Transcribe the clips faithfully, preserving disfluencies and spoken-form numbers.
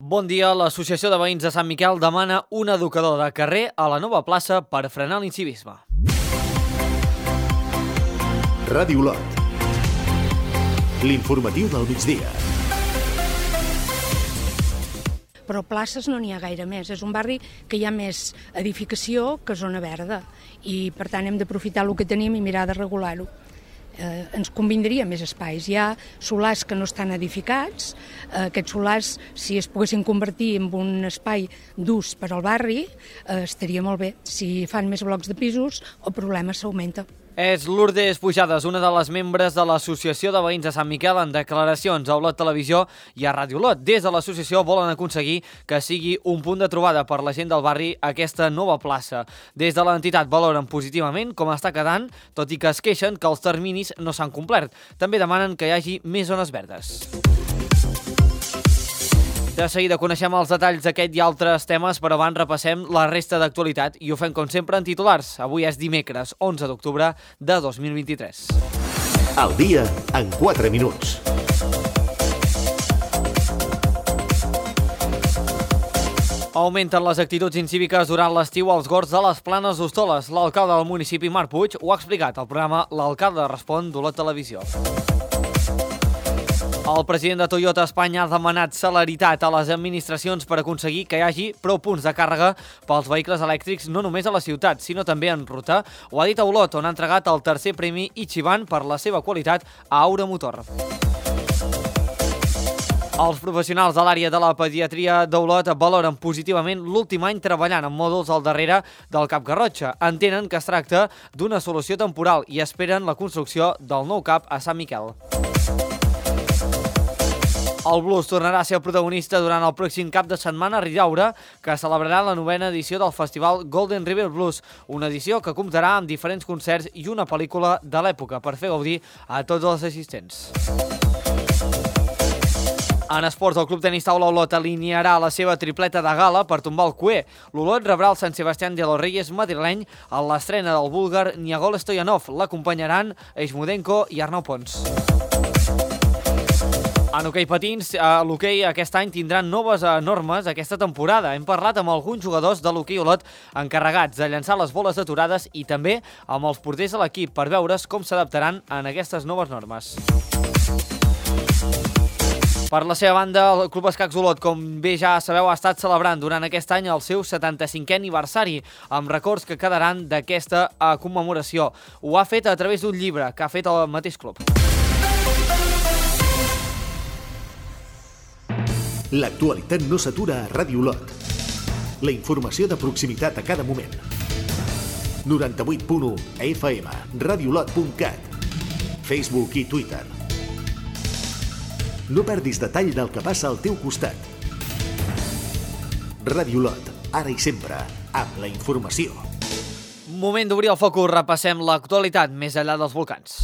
Bon dia. L'Associació de Veïns de Sant Miquel demana un educador de carrer a la nova plaça per frenar l'incivisme. Ràdio Lot. L'informatiu del migdia. Però places no n'hi ha gaire més. És un barri que hi ha més edificació que zona verda i, per tant, hem d'aprofitar el que tenim i mirar de regular-ho. Eh, ens convindria més espais. Hi ha solars que no estan edificats. Eh, aquests solars, si es poguessin convertir en un espai d'ús per al barri, eh, estaria molt bé. Si fan més blocs de pisos, el problema s'augmenta. És Lourdes Pujades, una de les membres de l'Associació de Veïns de Sant Miquel, en declaracions a Olot Televisió i a Ràdio Olot. Des de l'associació volen aconseguir que sigui un punt de trobada per la gent del barri aquesta nova plaça. Des de l'entitat valoren positivament com està quedant, tot i que es queixen que els terminis no s'han complert. També demanen que hi hagi més zones verdes. De seguida coneixem els detalls d'aquest i altres temes, però abans repassem la resta d'actualitat i ho fem com sempre en titulars. Avui és dimecres, onze d'octubre de dos mil vint-i-tres. El dia en quatre minuts. Augmenten les actituds incíviques durant l'estiu als gorgs de les Planes d'Hostoles. L'alcalde del municipi, Marc Puig, ho ha explicat al programa L'Alcalde Respon d'Olot Televisió. El president de Toyota Espanya ha demanat celeritat a les administracions per aconseguir que hi hagi prou punts de càrrega pels vehicles elèctrics no només a la ciutat, sinó també en ruta. Ho ha dit a Olot, on ha entregat el tercer premi Ichiban per la seva qualitat a Aura Motor. Els professionals de l'àrea de la pediatria d'Olot valoren positivament l'últim any treballant en mòduls al darrere del Cap Garrotxa. Entenen que es tracta d'una solució temporal i esperen la construcció del nou cap a Sant Miquel. El blues tornarà a ser el protagonista durant el pròxim cap de setmana a Ridaura, que celebrarà la novena edició del festival Golden River Blues, una edició que comptarà amb diferents concerts i una pel·lícula de l'època per fer gaudir a tots els assistents. En esports, el Club Tenis Taula Olot alinearà la seva tripleta de gala per tombar el cuer. L'Olot rebrà el Sant Sebastián de los Reyes madrileny a l'estrena del búlgar Niagol Stoyanov. L'acompanyaran Eixmudenko i Arnau Pons. En hoquei patins, l'hoquei aquest any tindran noves normes aquesta temporada. Hem parlat amb alguns jugadors de l'hoquei Olot encarregats de llançar les boles aturades i també amb els porters de l'equip per veure's com s'adaptaran en aquestes noves normes. Per la seva banda, el Club Escacs Olot, com bé ja sabeu, ha estat celebrant durant aquest any el seu setanta-cinquè aniversari, amb records que quedaran d'aquesta commemoració. Ho ha fet a través d'un llibre que ha fet el mateix club. L'actualitat no s'atura a Ràdio Lot. La informació de proximitat a cada moment. noranta-vuit punt u F M, radiolot punt cat, Facebook i Twitter. No perdis detall del que passa al teu costat. Ràdio Lot, ara i sempre, amb la informació. Moment d'obrir el focus, repassem l'actualitat més enllà dels volcans.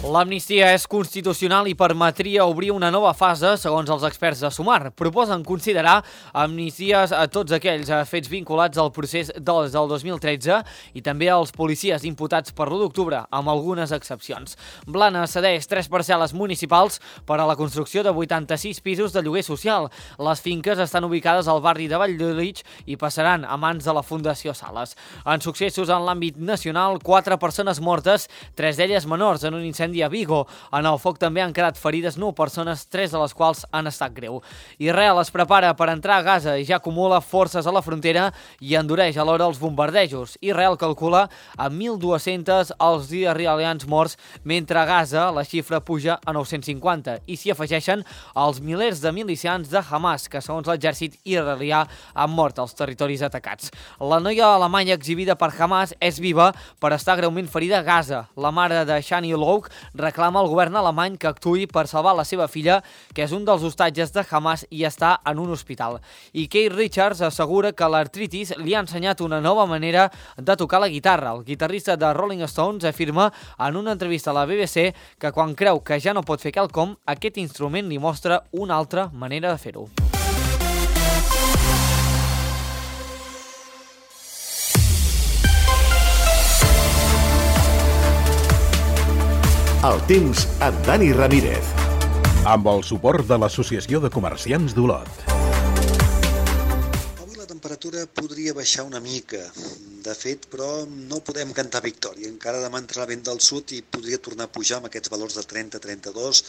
L'amnistia és constitucional i permetria obrir una nova fase, segons els experts de Sumar. Proposen considerar amnisties a tots aquells fets vinculats al procés del dos mil tretze i també als policies imputats per l'u d'octubre, amb algunes excepcions. Blanes cedeix tres parcel·les municipals per a la construcció de vuitanta-sis pisos de lloguer social. Les finques estan ubicades al barri de Valldolitx i passaran a mans de la Fundació Sales. En successos en l'àmbit nacional, quatre persones mortes, tres d'elles menors, en un incendi a Vigo. En el foc també han quedat ferides nou persones, tres de les quals han estat greu. Israel es prepara per entrar a Gaza i ja acumula forces a la frontera i endureix alhora els bombardejos. Israel calcula a mil dos-cents els israelians morts, mentre a Gaza la xifra puja a nou-cents cinquanta i s'hi afegeixen els milers de milicians de Hamas, que segons l'exèrcit israelià han mort als territoris atacats. La noia alemanya exhibida per Hamas és viva per estar greument ferida a Gaza. La mare de Shani Louk reclama al govern alemany que actuï per salvar la seva filla, que és un dels hostatges de Hamas i està en un hospital. I Keith Richards assegura que l'artritis li ha ensenyat una nova manera de tocar la guitarra. El guitarrista de Rolling Stones afirma en una entrevista a la B B C que quan creu que ja no pot fer quelcom, aquest instrument li mostra una altra manera de fer-ho. El temps amb Dani Ramírez. Amb el suport de l'Associació de Comerciants d'Olot. Avui la temperatura podria baixar una mica, de fet, però no podem cantar victòria. Encara demà entrarà vent del sud i podria tornar a pujar amb aquests valors de trenta a trenta-dos.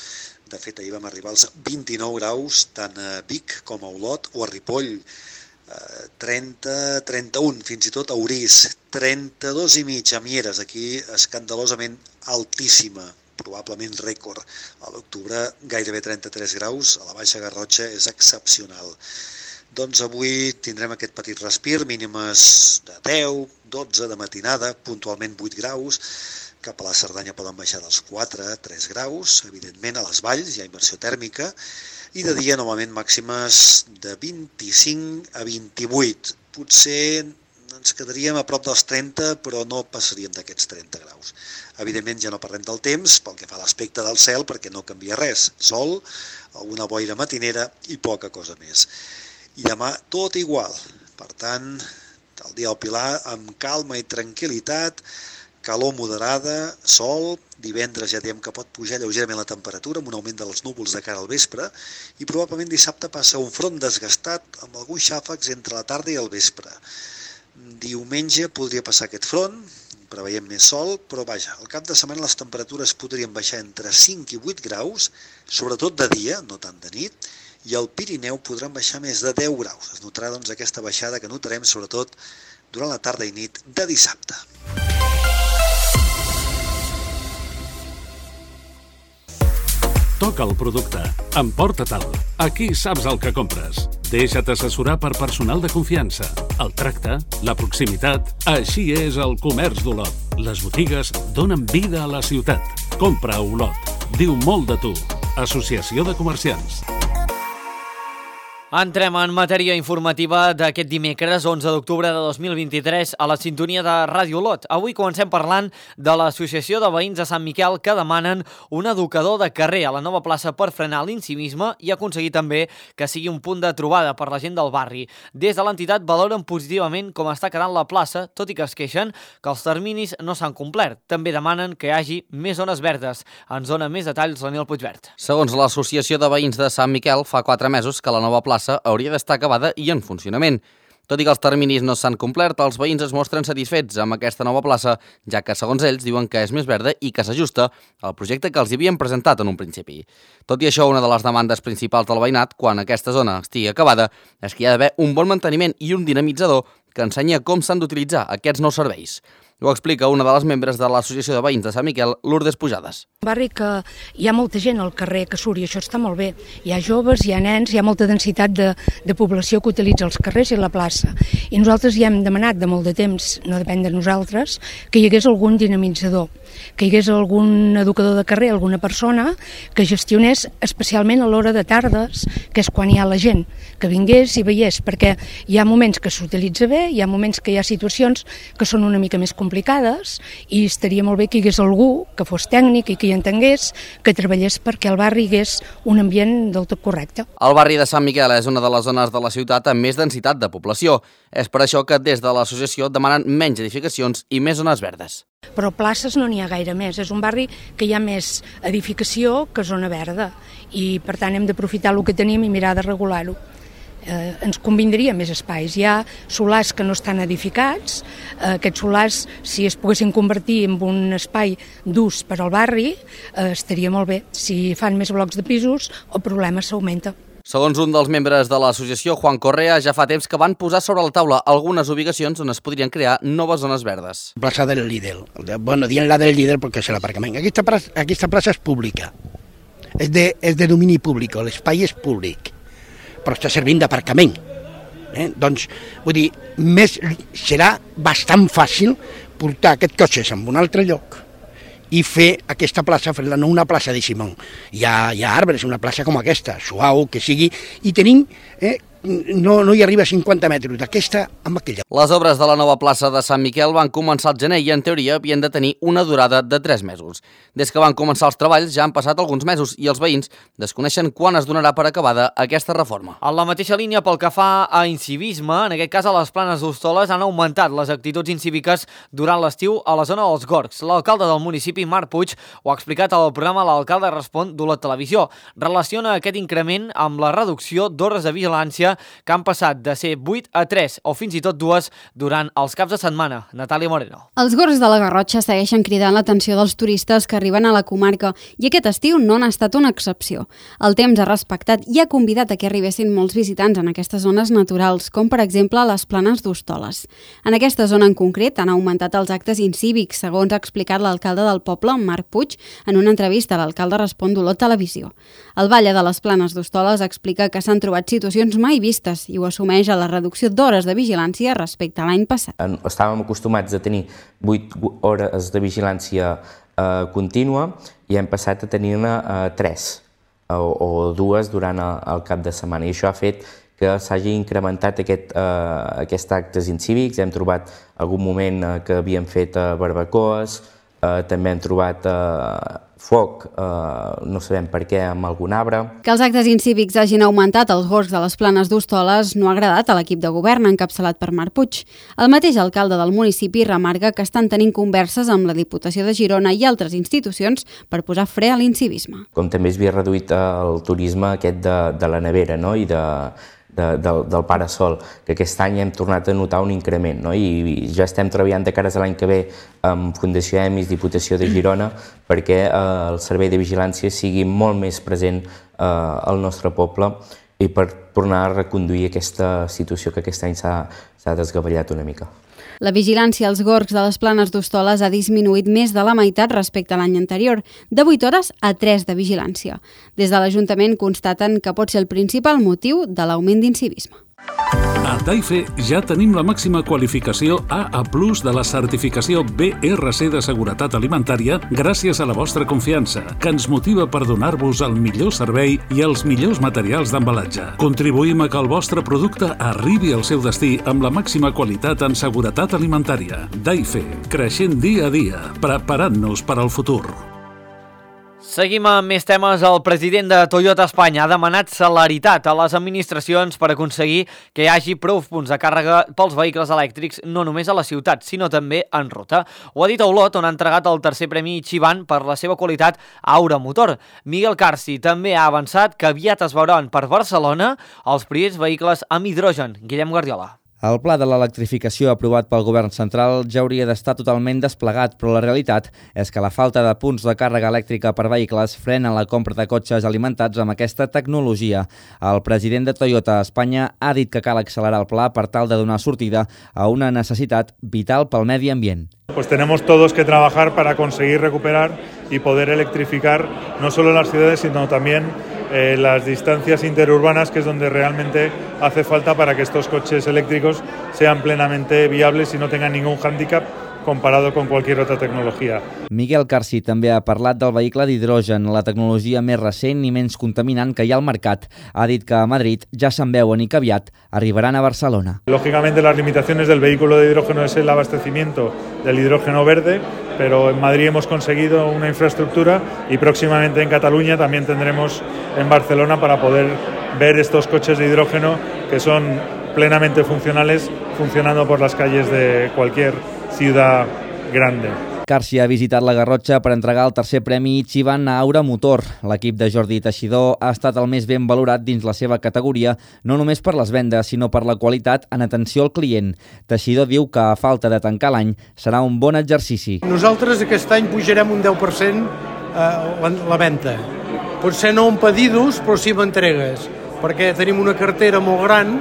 De fet, ahir vam arribar als vint-i-nou graus, tant a Vic com a Olot o a Ripoll. trenta a trenta-un, fins i tot a Orís. trenta-dos i mig a Mieres, aquí escandalosament altíssima, probablement rècord. A l'octubre gairebé trenta-tres graus, a la Baixa Garrotxa és excepcional. Doncs avui tindrem aquest petit respir, mínimes de deu, dotze de matinada, puntualment vuit graus, cap a la Cerdanya poden baixar dels quatre a tres graus, evidentment a les valls hi ha inversió tèrmica, i de dia novament màximes de vint-i-cinc a vint-i-vuit. Potser ens quedaríem a prop dels trenta, però no passaríem d'aquests trenta graus. Evidentment ja no parlem del temps, pel que fa a l'aspecte del cel, perquè no canvia res. Sol, alguna boira matinera i poca cosa més. I demà tot igual. Per tant, el dia del Pilar amb calma i tranquil·litat, calor moderada, sol, divendres ja diem que pot pujar lleugerament la temperatura amb un augment dels núvols de cara al vespre i probablement dissabte passa un front desgastat amb alguns xàfecs entre la tarda i el vespre. Diumenge podria passar aquest front, preveiem més sol, però vaja, al cap de setmana les temperatures podrien baixar entre cinc i vuit graus, sobretot de dia, no tant de nit, i al Pirineu podran baixar més de deu graus. Es notarà doncs aquesta baixada que notarem sobretot durant la tarda i nit de dissabte. Toca el producte, emporta-te'l. Aquí saps el que compres. Deixa't assessorar per personal de confiança. El tracte, la proximitat, així és el comerç d'Olot. Les botigues donen vida a la ciutat. Compra a Olot. Diu molt de tu. Associació de Comerciants. Entrem en matèria informativa d'aquest dimecres, onze d'octubre de dos mil vint-i-tres, a la sintonia de Ràdio Olot. Avui comencem parlant de l'Associació de Veïns de Sant Miquel que demanen un educador de carrer a la nova plaça per frenar l'incivisme i aconseguir també que sigui un punt de trobada per la gent del barri. Des de l'entitat valoren positivament com està quedant la plaça, tot i que es queixen que els terminis no s'han complert. També demanen que hi hagi més zones verdes. Ens dona més detalls Daniel Puigvert. Segons l'Associació de Veïns de Sant Miquel, fa quatre mesos que la nova plaça hauria d'estar acabada i en funcionament. Tot i que els terminis no s'han complert, els veïns es mostren satisfets amb aquesta nova plaça, ja que, segons ells, diuen que és més verda i que s'ajusta al projecte que els havien presentat en un principi. Tot i això, una de les demandes principals del veïnat, quan aquesta zona estigui acabada, és que hi ha d'haver un bon manteniment i un dinamitzador que ensenya com s'han d'utilitzar aquests nous serveis. Ho explica una de les membres de l'Associació de Veïns de Sant Miquel, Lourdes Pujades. Un barri que hi ha molta gent al carrer que surt i això està molt bé. Hi ha joves, hi ha nens, hi ha molta densitat de, de població que utilitza els carrers i la plaça. I nosaltres ja hem demanat de molt de temps, no depèn de nosaltres, que hi hagués algun dinamitzador, que hi hagués algun educador de carrer, alguna persona que gestionés especialment a l'hora de tardes, que és quan hi ha la gent, que vingués i veiés, perquè hi ha moments que s'utilitza bé, hi ha moments que hi ha situacions que són una mica més complicades i estaria molt bé que hi hagués algú que fos tècnic i que hi entengués, que treballés perquè al barri hi hagués un ambient del tot correcte. El barri de Sant Miquel és una de les zones de la ciutat amb més densitat de població. És per això que des de l'associació demanen menys edificacions i més zones verdes. Però places no n'hi ha gaire més. És un barri que hi ha més edificació que zona verda i per tant hem d'aprofitar el que tenim i mirar de regular-ho. Eh, ens convindria més espais. Hi ha solars que no estan edificats, eh, aquests solars, si es poguessin convertir en un espai d'ús per al barri, eh, estaria molt bé. Si fan més blocs de pisos, el problema s'augmenta. Segons un dels membres de l'associació, Juan Correa, ja fa temps que van posar sobre la taula algunes ubicacions on es podrien crear noves zones verdes. Plaça del Lidl. Bueno, dient la del Lidl perquè és l'aparcament. Aquesta plaça, aquesta plaça és pública. És de, és de domini públic, l'espai és públic, però està servint d'aparcament. Eh? Doncs, vull dir, més, serà bastant fàcil portar aquests cotxes en un altre lloc i fer aquesta plaça, fer-la no una plaça de Simón. Hi ha, hi ha arbres, una plaça com aquesta, suau, que sigui, i tenim eh, no, no hi arriba a cinquanta metres, d'aquesta amb aquella. Les obres de la nova plaça de Sant Miquel van començar al gener i en teoria havien de tenir una durada de tres mesos. Des que van començar els treballs ja han passat alguns mesos i els veïns desconeixen quan es donarà per acabada aquesta reforma. En la mateixa línia pel que fa a incivisme, en aquest cas a les Planes d'Hostoles han augmentat les actituds incíviques durant l'estiu a la zona dels Gorgs. L'alcalde del municipi, Marc Puig, ho ha explicat al programa L'Alcalde Respon d'Olot Televisió. Relaciona aquest increment amb la reducció d'hores de vigilància que han passat de ser vuit a tres o fins i tot dues durant els caps de setmana. Natàlia Moreno. Els Gorgs de la Garrotxa segueixen cridant l'atenció dels turistes que arriben a la comarca i aquest estiu no n'ha estat una excepció. El temps ha respectat i ha convidat a que arribessin molts visitants en aquestes zones naturals, com per exemple les Planes d'Hostoles. En aquesta zona en concret han augmentat els actes incívics, segons ha explicat l'alcalde del poble, Marc Puig, en una entrevista a l'Alcalde Respon d'Olot Televisió. El Batlle de les Planes d'Hostoles explica que s'han trobat situacions mai vistes i ho assumeix a la reducció d'hores de vigilància respecte a l'any passat. Estàvem acostumats a tenir vuit hores de vigilància eh, contínua i hem passat a tenir-ne eh, tres o, o dues durant el, el cap de setmana i això ha fet que s'hagi incrementat aquest, eh, aquests actes incívics. Hem trobat algun moment eh, que havíem fet eh, barbacoes, eh, també hem trobat eh, foc, eh, no sabem per què, amb algun arbre. Que els actes incívics hagin augmentat als Gorgs de les Planes d'Hostoles no ha agradat a l'equip de govern encapçalat per Marc Puig. El mateix alcalde del municipi remarca que estan tenint converses amb la Diputació de Girona i altres institucions per posar fre a l'incivisme. Com també es havia reduït el turisme aquest de, de la nevera, no? I de, de, del, del parasol, que aquest any hem tornat a notar un increment, no? I, i ja estem treballant de cares a l'any que ve amb Fundació EMIS, Diputació de Girona, perquè eh, el servei de vigilància sigui molt més present eh, al nostre poble i per tornar a reconduir aquesta situació que aquest any s'ha desgavellat una mica. La vigilància als Gorgs de les Planes d'Hostoles ha disminuït més de la meitat respecte a l'any anterior, de vuit hores a tres de vigilància. Des de l'Ajuntament constaten que pot ser el principal motiu de l'augment d'incivisme. A Taife ja tenim la màxima qualificació A A plus de la certificació B R C de seguretat alimentària gràcies a la vostra confiança, que ens motiva per donar-vos el millor servei i els millors materials d'embalatge. Contribuïm a que el vostre producte arribi al seu destí amb la màxima qualitat en seguretat alimentària. Taife, creixent dia a dia, preparant-nos per al futur. Seguim amb més temes. El president de Toyota Espanya ha demanat celeritat a les administracions per aconseguir que hi hagi prou punts de càrrega pels vehicles elèctrics, no només a la ciutat, sinó també en ruta. Ho ha dit a Olot, on ha entregat el tercer premi Ichiban per la seva qualitat a Aura Motor. Miguel Carci també ha avançat que aviat es veuran per Barcelona els primers vehicles amb hidrogen. Guillem Guardiola. El pla de l'electrificació aprovat pel govern central ja hauria d'estar totalment desplegat, però la realitat és que la falta de punts de càrrega elèctrica per vehicles frena la compra de cotxes alimentats amb aquesta tecnologia. El president de Toyota Espanya ha dit que cal accelerar el pla per tal de donar sortida a una necessitat vital pel medi ambient. Pues tenemos todos que trabajar para conseguir recuperar y poder electrificar no solo las ciudades, sino también eh, las distancias interurbanas, que es donde realmente hace falta para que estos coches eléctricos sean plenamente viables y no tengan ningún hándicap comparado con cualquier otra tecnologia. Miguel Carci també ha parlat del vehicle d'hidrogen, la tecnologia més recent i menys contaminant que hi ha al mercat. Ha dit que a Madrid ja se'n veuen i que aviat arribaran a Barcelona. Lógicamente las limitaciones del vehículo de hidrógeno es el abastecimiento del hidrógeno verde, pero en Madrid hemos conseguido una infraestructura y próximamente en Cataluña también tendremos en Barcelona para poder ver estos coches de hidrógeno que son plenamente funcionales, funcionando por las calles de cualquier ciutat grande. Carci ha visitat la Garrotxa per entregar el tercer premi Ichiban a Aura Motor. L'equip de Jordi Teixidor ha estat el més ben valorat dins la seva categoria, no només per les vendes, sinó per la qualitat en atenció al client. Teixidor diu que, a falta de tancar l'any, serà un bon exercici. Nosaltres aquest any pujarem un deu per cent la, la venda. Potser no en pedidos, però sí en entregues, perquè tenim una cartera molt gran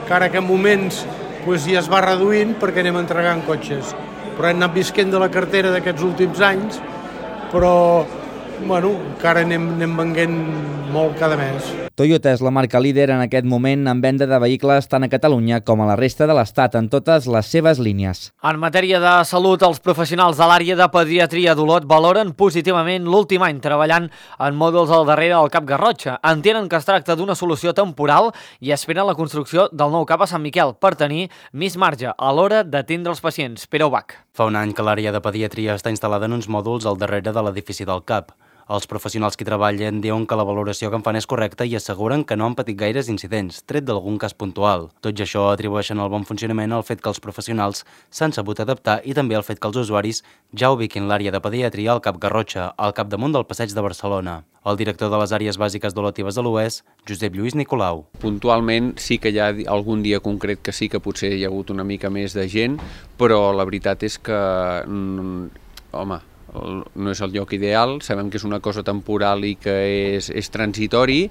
que ara que en moments pues, ja es va reduint perquè anem entregant cotxes. Però hem anat visquent de la cartera d'aquests últims anys, però bueno, encara anem, anem venguent molt cada mes. Toyota és la marca líder en aquest moment en venda de vehicles tant a Catalunya com a la resta de l'Estat en totes les seves línies. En matèria de salut, els professionals de l'àrea de pediatria d'Olot valoren positivament l'últim any treballant en mòduls al darrere del Cap Garrotxa. Entenen que es tracta d'una solució temporal i esperen la construcció del nou cap a Sant Miquel per tenir més marge a l'hora d'atendre els pacients. Pere Ubach. Fa un any que l'àrea de pediatria està instal·lada en uns mòduls al darrere de l'edifici del CAP. Els professionals que hi treballen diuen que la valoració que en fan és correcta i asseguren que no han patit gaires incidents, tret d'algun cas puntual. Tot i això atribueixen el bon funcionament al fet que els professionals s'han sabut adaptar i també al fet que els usuaris ja ubiquin l'àrea de pediatria al Cap Garrotxa, al capdamunt del Passeig de Barcelona. El director de les àrees bàsiques d'Olot i Besalú és Josep Lluís Nicolau. Puntualment sí que hi ha algun dia concret que sí que potser hi ha hagut una mica més de gent, però la veritat és que, home, no és el lloc ideal, sabem que és una cosa temporal i que és, és transitori,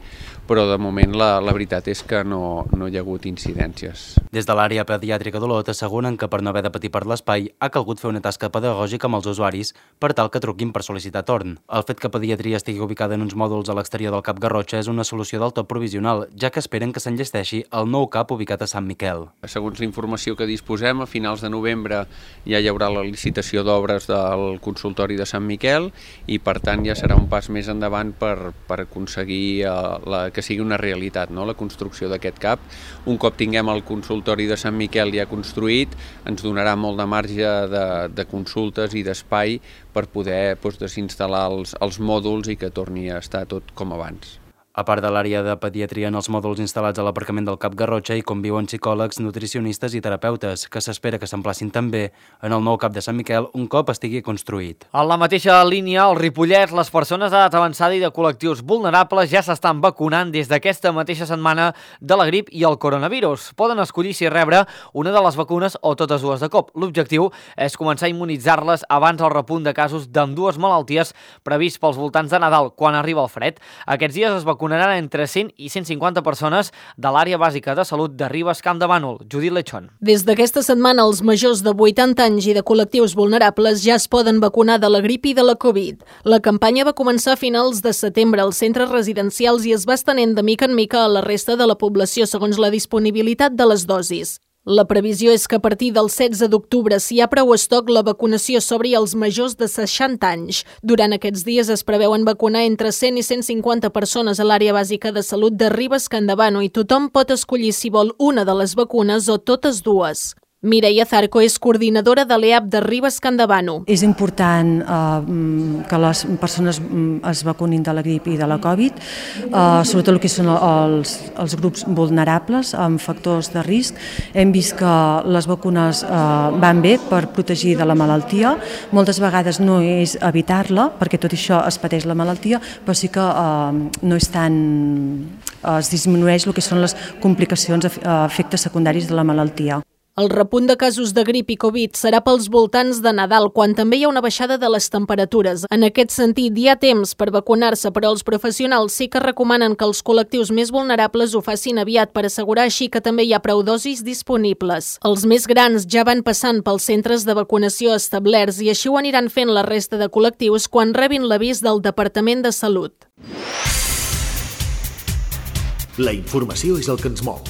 però de moment la, la veritat és que no, no hi ha hagut incidències. Des de l'àrea pediàtrica d'Olot asseguren que per no haver de patir per l'espai ha calgut fer una tasca pedagògica amb els usuaris per tal que truquin per sol·licitar torn. El fet que pediatria estigui ubicada en uns mòduls a l'exterior del Cap Garrotxa és una solució del tot provisional, ja que esperen que s'enllesteixi el nou cap ubicat a Sant Miquel. Segons la informació que disposem, a finals de novembre ja hi haurà la licitació d'obres del consultori de Sant Miquel i per tant ja serà un pas més endavant per, per aconseguir uh, la, que sigui una realitat, no? La construcció d'aquest cap. Un cop tinguem el consultori de Sant Miquel ja construït, ens donarà molt de marge de, de consultes i d'espai per poder doncs, desinstal·lar els, els mòduls i que torni a estar tot com abans. A part de l'àrea de pediatria en els mòduls instal·lats a l'aparcament del Cap Garrotxa hi conviuen psicòlegs, nutricionistes i terapeutes, que s'espera que s'emplacin també en el nou cap de Sant Miquel un cop estigui construït. En la mateixa línia, al Ripollès, les persones d'edat avançada i de col·lectius vulnerables ja s'estan vacunant des d'aquesta mateixa setmana de la grip i el coronavirus. Poden escollir si rebre una de les vacunes o totes dues de cop. L'objectiu és començar a immunitzar-les abans del repunt de casos d'ambdues malalties previst pels voltants de Nadal, quan arriba el fred. Aquests dies es vacunaran entre cent i cent cinquanta persones de l'àrea bàsica de salut de Ribes Camp de Bànol. Judit Lechón. Des d'aquesta setmana, els majors de vuitanta anys i de col·lectius vulnerables ja es poden vacunar de la grip i de la Covid. La campanya va començar a finals de setembre als centres residencials i es va estenent de mica en mica a la resta de la població segons la disponibilitat de les dosis. La previsió és que a partir del setze d'octubre, si hi ha prou estoc, la vacunació s'obri als majors de seixanta anys. Durant aquests dies es preveuen vacunar entre cent i cent cinquanta persones a l'àrea bàsica de salut de Ribes Camp de Bànol i tothom pot escollir si vol una de les vacunes o totes dues. Mireia Zarco és coordinadora de l'E A P de Ribes Camp de Bànol. És important eh, que les persones es vacunin de la grip i de la Covid, eh, sobretot el que són els, els grups vulnerables amb factors de risc. Hem vist que les vacunes eh, van bé per protegir de la malaltia. Moltes vegades no és evitar-la, perquè tot això es pateix la malaltia, però sí que eh, no és tan... es disminueix el que són les complicacions, efectes secundaris de la malaltia. El repunt de casos de grip i Covid serà pels voltants de Nadal, quan també hi ha una baixada de les temperatures. En aquest sentit, hi ha temps per vacunar-se, però els professionals sí que recomanen que els col·lectius més vulnerables ho facin aviat per assegurar així que també hi ha prou dosis disponibles. Els més grans ja van passant pels centres de vacunació establerts i així ho aniran fent la resta de col·lectius quan rebin l'avís del Departament de Salut. La informació és el que ens mou.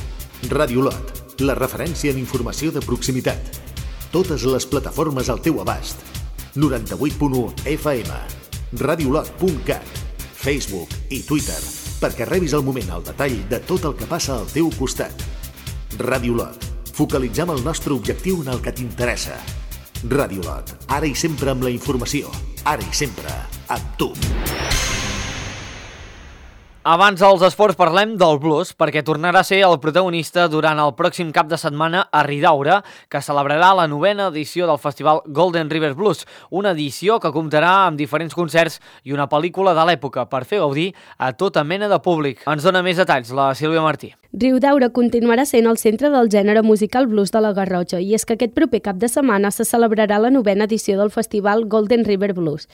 Ràdio Olot, la referència en informació de proximitat. Totes les plataformes al teu abast. noranta-vuit punt u F M, radiolot punt cat, Facebook i Twitter, perquè rebis al moment el detall de tot el que passa al teu costat. Ràdio Olot, focalitzem el nostre objectiu en el que t'interessa. Ràdio Olot, ara i sempre amb la informació, ara i sempre amb tu. Abans dels esports parlem del blues, perquè tornarà a ser el protagonista durant el pròxim cap de setmana a Ridaura, que celebrarà la novena edició del festival Golden River Blues, una edició que comptarà amb diferents concerts i una pel·lícula de l'època per fer gaudir a tota mena de públic. Ens dona més detalls la Sílvia Martí. Riudaura continuarà sent el centre del gènere musical blues de la Garrotxa i és que aquest proper cap de setmana se celebrarà la novena edició del festival Golden River Blues.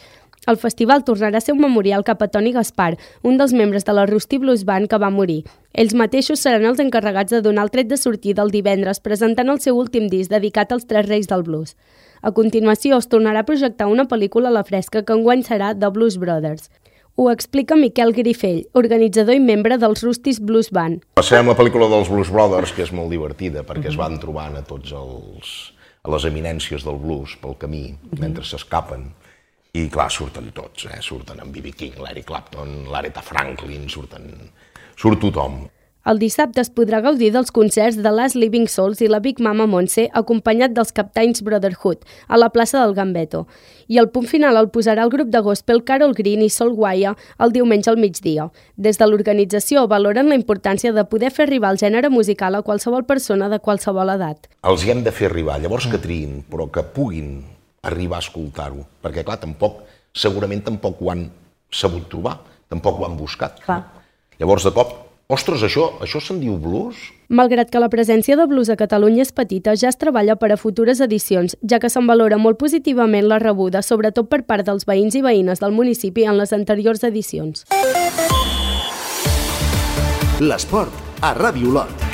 El festival tornarà a ser un memorial cap a Toni Gaspar, un dels membres de la Rusty Blues Band que va morir. Ells mateixos seran els encarregats de donar el tret de sortida el divendres presentant el seu últim disc dedicat als tres reis del blues. A continuació es tornarà a projectar una pel·lícula a la fresca que enguany serà The Blues Brothers. Ho explica Miquel Grifell, organitzador i membre dels Rustis Blues Band. Passem la pel·lícula dels Blues Brothers, que és molt divertida, perquè es van trobant a tots els, a les eminències del blues pel camí, mentre s'escapen. I clar, surten tots, eh? Surten en B B King, l'Eric Clapton, l'Aretha Franklin, surten... surt tothom. El dissabte es podrà gaudir dels concerts de Last Living Souls i la Big Mama Montse, acompanyat dels Captains Brotherhood, a la plaça del Gambeto. I el punt final el posarà el grup de gospel Carol Green i Sol Guaya el diumenge al migdia. Des de l'organització valoren la importància de poder fer arribar el gènere musical a qualsevol persona de qualsevol edat. Els hi hem de fer arribar, llavors que triïn, però que puguin arribar a escoltar-ho, perquè clar, tampoc, segurament tampoc ho han sabut trobar, tampoc ho han buscat. Clar. Llavors, de cop, ostres, això, això se'n diu blues? Malgrat que la presència de blues a Catalunya és petita, ja es treballa per a futures edicions, ja que se'n valora molt positivament la rebuda, sobretot per part dels veïns i veïnes del municipi en les anteriors edicions. L'esport a Ràdio Olot.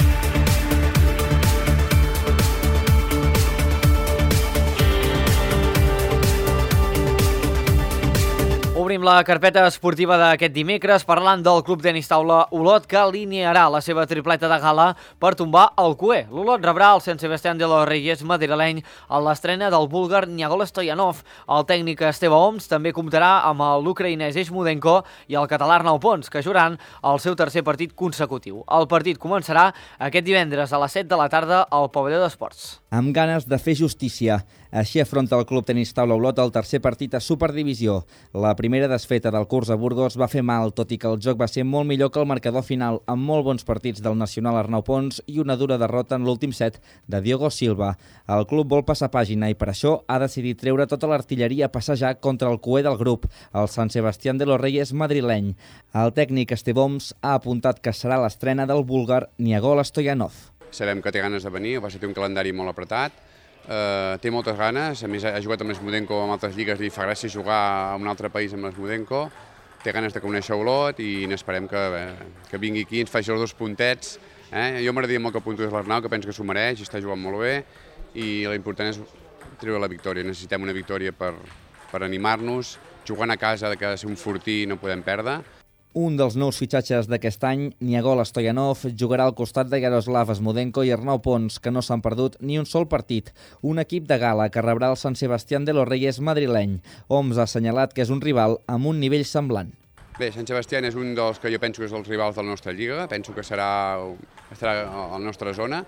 Obrim la carpeta esportiva d'aquest dimecres parlant del Club Tenis Taula Olot, que alinearà la seva tripleta de gala per tombar el cué. L'Olot rebrà el Sant Sebastián de los Reyes madrileny a l'estrena del búlgar Niagol Stoyanov. El tècnic Esteve Oms també comptarà amb l'ucraïnès Eshmudenko i el català Arnau Pons, que jugaran el seu tercer partit consecutiu. El partit començarà aquest divendres a les set de la tarda al pavelló d'esports. Amb ganes de fer justícia. Així afronta el Club Tenis Taula Olot el tercer partit a Superdivisió. La primera desfeta del curs a Burgos va fer mal, tot i que el joc va ser molt millor que el marcador final, amb molt bons partits del nacional Arnau Pons i una dura derrota en l'últim set de Diogo Silva. El club vol passar pàgina i per això ha decidit treure tota l'artilleria a passejar contra el cué del grup, el Sant Sebastián de los Reyes madrileny. El tècnic Esteve Oms ha apuntat que serà l'estrena del búlgar Niagol Stoyanov. Sabem que té ganes de venir, va ser un calendari molt apretat, Uh, té moltes ganes, a més ha jugat amb l'Eshmudenko en altres lligues i fa gràcia jugar a un altre país amb l'Eshmudenko, té ganes de conèixer Olot i n'esperem que, eh, que vingui aquí i ens faci els dos puntets. Eh? Jo m'agradaria molt que puntués l'Arnau, que penso que s'ho mereix i està jugant molt bé, i l'important és treure la victòria. Necessitem una victòria per, per animar-nos, jugant a casa que ha de ser un fortí i no podem perdre. Un dels nous fitxatges d'aquest any, Niagol Stoyanov, jugarà al costat de Yaroslav Eshmudenko i Arnau Pons, que no s'han perdut ni un sol partit. Un equip de gala que rebrà el Sant Sebastián de los Reyes madrileny. Oms ha assenyalat que és un rival amb un nivell semblant. Bé, Sant Sebastián és un dels que jo penso que és els rivals de la nostra lliga, penso que serà, estarà a la nostra zona.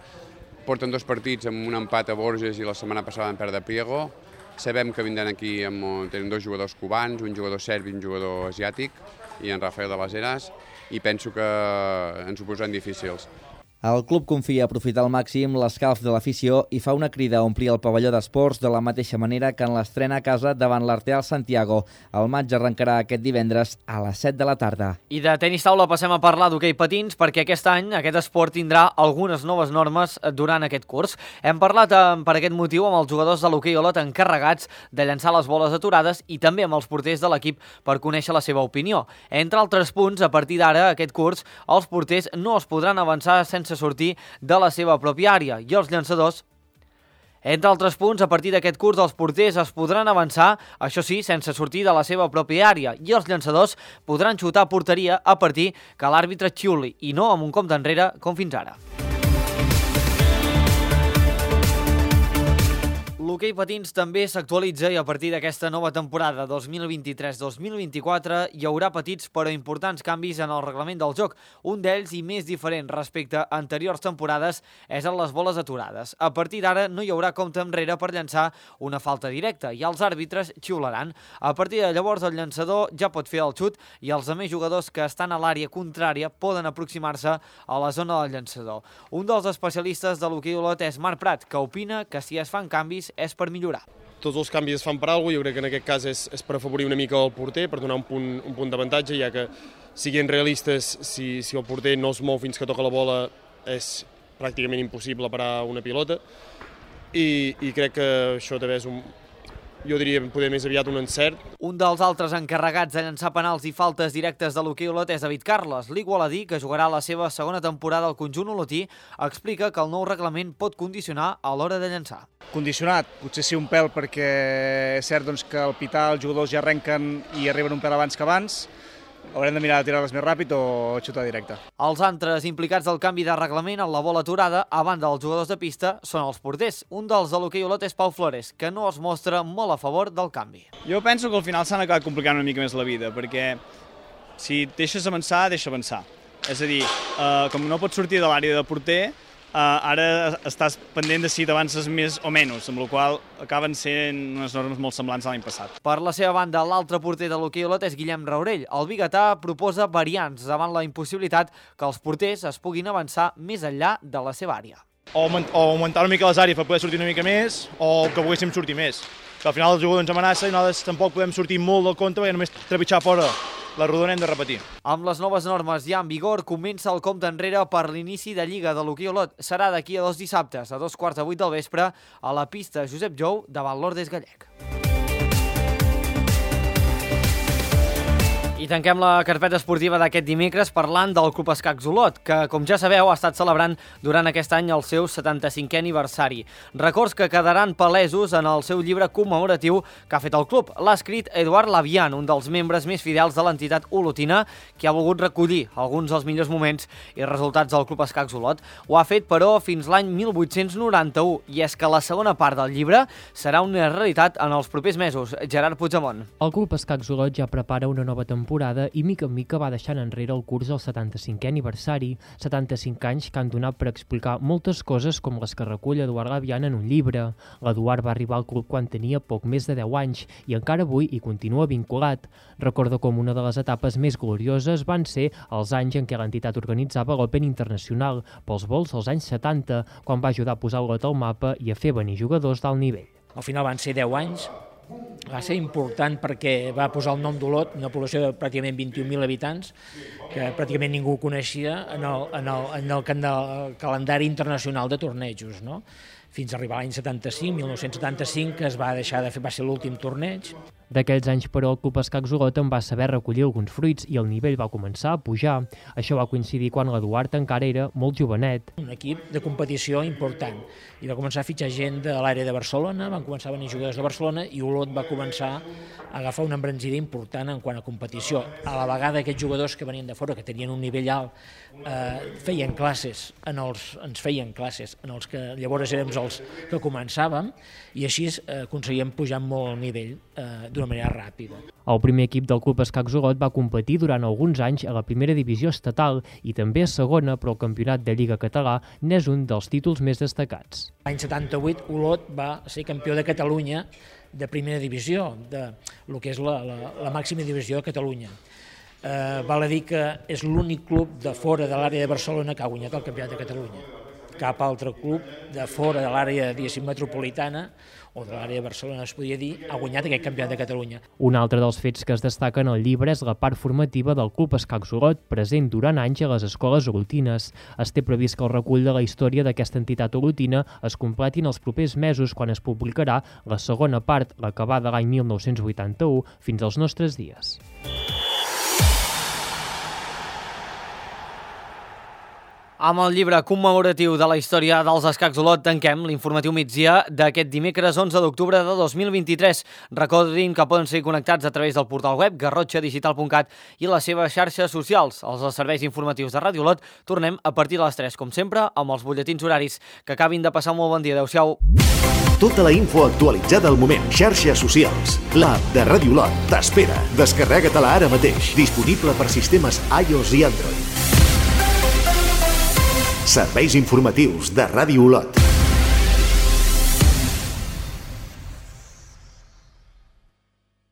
Porten dos partits amb un empat a Borges i la setmana passada van perdre a Priego. Sabem que vindran aquí, amb, tenen dos jugadors cubans, un jugador serb i un jugador asiàtic, i en Rafael de les Heras, i penso que ens ho posaran difícils. El club confia aprofitar al màxim l'escalf de l'afició i fa una crida a omplir el pavelló d'esports de la mateixa manera que en l'estrena a casa davant l'Arteal Santiago. El maig arrencarà aquest divendres a les set de la tarda. I de tenis taula passem a parlar d'hoquei patins, perquè aquest any aquest esport tindrà algunes noves normes durant aquest curs. Hem parlat eh, per aquest motiu amb els jugadors de l'hoquei Olot encarregats de llançar les boles aturades i també amb els porters de l'equip per conèixer la seva opinió. Entre altres punts, a partir d'ara, aquest curs, els porters no es podran avançar sense sortir de la seva pròpia àrea i els llançadors, entre altres punts, a partir d'aquest curs els porters es podran avançar, això sí, sense sortir de la seva pròpia àrea, i els llançadors podran xutar a porteria a partir que l'àrbitre xiuli i no amb un compte enrere com fins ara. L'hoquei patins també s'actualitza i a partir d'aquesta nova temporada dos mil vint-i-tres dos mil vint-i-quatre hi haurà petits però importants canvis en el reglament del joc. Un d'ells, i més diferent respecte a anteriors temporades, és en les boles aturades. A partir d'ara no hi haurà compte enrere per llançar una falta directa i els àrbitres xiularan. A partir de llavors el llançador ja pot fer el xut i els altres jugadors que estan a l'àrea contrària poden aproximar-se a la zona del llançador. Un dels especialistes de l'hoquei Olot és Marc Prat, que opina que si es fan canvis és per millorar. Tots els canvis es fan per alguna cosa, jo crec que en aquest cas és, és per afavorir una mica el porter, per donar un punt, un punt d'avantatge, ja que, siguent realistes, si, si el porter no es mou fins que toca la bola és pràcticament impossible parar una pilota, i, i crec que això també és un, jo diria poder més aviat un encert. Un dels altres encarregats de llançar penals i faltes directes de l'hoquei Olot és David Carles. L'igualadí, que jugarà la seva segona temporada al conjunt olotí, explica que el nou reglament pot condicionar a l'hora de llançar. Condicionat, potser sí un pèl, perquè és cert doncs, que al pitar els jugadors ja arrenquen i arriben un pèl abans que abans, haurem de mirar de tirar-les més ràpid o xutar directe. Els altres implicats del canvi de reglament en la bola aturada, a banda dels jugadors de pista, són els porters. Un dels de l'hoquei Olot és Pau Flores, que no es mostra molt a favor del canvi. Jo penso que al final s'han acabat complicant una mica més la vida, perquè si deixes avançar, deixa avançar. És a dir, eh, com no pots sortir de l'àrea de porter, Uh, ara estàs pendent de si t'avances més o menys, amb la qual acaben sent unes normes molt semblants a l'any passat. Per la seva banda, l'altre porter de l'hoquei Olot és Guillem Raurell. El biguetà proposa variants davant la impossibilitat que els porters es puguin avançar més enllà de la seva àrea. O, o augmentar una mica les àrees per poder sortir una mica més, o que poguéssim sortir més. Que al final el jugador ens amenaça i nosaltres tampoc podem sortir molt del compte perquè només trepitjar fora la rodona hem de repetir. Amb les noves normes ja en vigor, comença el compte enrere per l'inici de Lliga de l'hoquei Olot. Serà d'aquí a dos dissabtes, a dos quarts de vuit del vespre, a la pista Josep Jou, davant l'Ordes Gallec. I tanquem la carpeta esportiva d'aquest dimecres parlant del Club Escacs Olot, que, com ja sabeu, ha estat celebrant durant aquest any el seu setanta-cinquè aniversari. Records que quedaran palesos en el seu llibre commemoratiu que ha fet el club. L'ha escrit Eduard Lavian, un dels membres més fidels de l'entitat olotina, que ha volgut recollir alguns dels millors moments i resultats del Club Escacs Olot. Ho ha fet, però, fins l'any mil vuit-cents noranta-u, i és que la segona part del llibre serà una realitat en els propers mesos. Gerard Puigdemont. El Club Escacs Olot ja prepara una nova temporada i mica en mica va deixant enrere el curs del setanta-cinquè aniversari, setanta-cinc anys que han donat per explicar moltes coses com les que recull Eduard Lavian en un llibre. L'Eduard va arribar al club quan tenia poc més de deu anys i encara avui hi continua vinculat. Recorda com una de les etapes més glorioses van ser els anys en què l'entitat organitzava l'Open Internacional pels vols dels anys setanta, quan va ajudar a posar Olot al mapa i a fer venir jugadors d'alt nivell. Al final van ser deu anys, va ser important perquè va posar el nom d'Olot, una població de pràcticament vint-i-un mil habitants, que pràcticament ningú coneixia en el, en el, en el, en el calendari internacional de tornejos, no? Fins a arribar a l'any setanta-cinc, mil nou-cents setanta-cinc, que es va deixar de fer, va ser l'últim torneig. D'aquells anys, però, el Club Escacs Olot en va saber recollir alguns fruits i el nivell va començar a pujar. Això va coincidir quan l'Eduard encara era molt jovenet. Un equip de competició important. I va començar a fitxar gent de l'àrea de Barcelona, van començar a venir jugadors de Barcelona i Olot va començar a agafar una embranzida important en quant a competició. A la vegada aquests jugadors que venien de fora, que tenien un nivell alt, eh, feien classes, en els, ens feien classes, en els que llavors érem els que començàvem, i així eh, aconseguíem pujar molt el nivell eh, d'una manera ràpida. El primer equip del Club Escacs Olot va competir durant alguns anys a la primera divisió estatal i també a segona, però el campionat de Lliga Català n'és un dels títols més destacats. L'any setanta-vuit Olot va ser campió de Catalunya de primera divisió, de el que és la, la, la màxima divisió de Catalunya. Eh, val a dir que és l'únic club de fora de l'àrea de Barcelona que ha guanyat el campionat de Catalunya. Cap altre club de fora de l'àrea metropolitana o de l'àrea de Barcelona, es podia dir, ha guanyat aquest campionat de Catalunya. Un altre dels fets que es destaca en el llibre és la part formativa del Club Escacs Olot, present durant anys a les escoles olotines. Es té previst que el recull de la història d'aquesta entitat olotina es completi en els propers mesos, quan es publicarà la segona part, la que va de l'any mil nou-cents vuitanta-u fins als nostres dies. Amb el llibre commemoratiu de la història dels Escacs Olot tanquem l'informatiu migdia d'aquest dimecres onze d'octubre de dos mil vint-i-tres. Recordin que poden ser connectats a través del portal web garrotxa digital punt cat i les seves xarxes socials. Els serveis informatius de Ràdio Olot tornem a partir de les tres, com sempre, amb els butlletins horaris. Que acabin de passar un molt bon dia. Adéu-siau. Tota la info actualitzada al moment. Xarxes socials. L'app de Ràdio Olot t'espera. Descarrega-te-la ara mateix. Disponible per sistemes iOS i Android. Serveis informatius de Ràdio Olot.